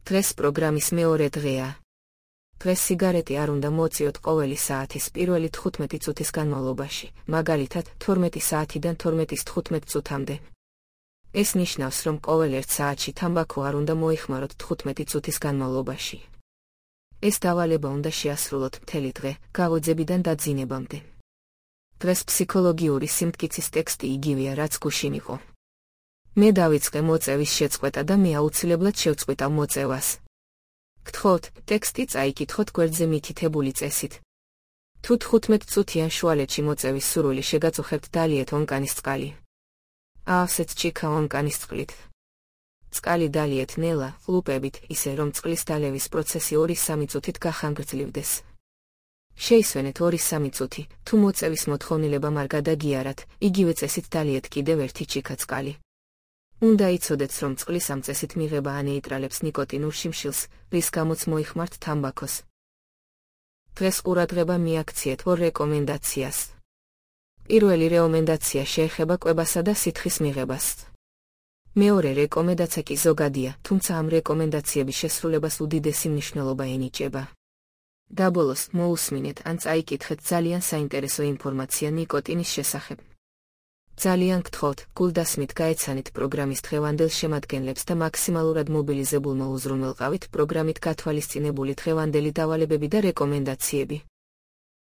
დღეს პროგრამის მეორე დღეა. დღეს სიგარეტი არ უნდა მოწიოთ ყოველი საათის პირველი 15 წუთის განმავლობაში, მაგალითად 12 საათიდან 12:15 წუთამდე. ეს ნიშნავს, რომ ყოველ 1 საათში თამბაქო არ უნდა მოიხმაროთ 15 წუთის განმავლობაში. ეს დავალება უნდა შეასრულოთ მთელი დღე, გაღვიძებიდან დაძინებამდე. დღეს ფსიქოლოგიური სიმტკიცის ტექსტი იგივეა, რაც გუშინ იყო. მე დავიწყე მოწევის შეწყვეტა და მე აუცილებლად შევწყვიტავ მოწევას. გთხოვთ, ტექსტი წაიკითხოთ გვერდზე მითითებული წესით. თუ 15 წუთიან შუალედში მოწევის სურვილი შეგაწუხებთ, დალიეთ ონკანის წყალი. აავსეთ ჩიქა ონკანის წყლით. წყალი დალიეთ ნელა, ყლუპებით, ისე რომ წყლის დალევის პროცესი 2-3 წუთით გახანგრძლივდეს. შეისვენეთ 2-3 წუთი, თუ მოწევის მოთხოვნილება არ გადაგიარათ, იგივე წესით დალიეთ კიდევ 1 ჩიქა წყალი. უნდა იცოდეთ, რომ წყლის ამ წესით მიღება ანეიტრალებს ნიკოტინურ შიმშილს, რის გამოც მოიხმართ თამბაქოს. დღეს ყურადღება მიაქციეთ 2 რეკომენდაციას. პირველი რეკომენდაცია შეეხება კვებასა და სითხის მიღებას. მეორე რეკომენდაცია კი ზოგადია, თუმცა ამ რეკომენდაციების შესრულებას უდიდესი მნიშვნელობა ენიჭება. დაბოლოს მოусმინეთ ან წაიკითხეთ ძალიან საინტერესო ინფორმაცია ნიკოტინის შესახებ. ძალიან გთხოვთ, გულდასმით გაეცანით პროგრამის დღევანდელ შემადგენლებს და მაქსიმალურად მობილიზებულმა უზრუნველყავით პროგრამით გათვალისწინებული დღევანდელი დავალებები და რეკომენდაციები.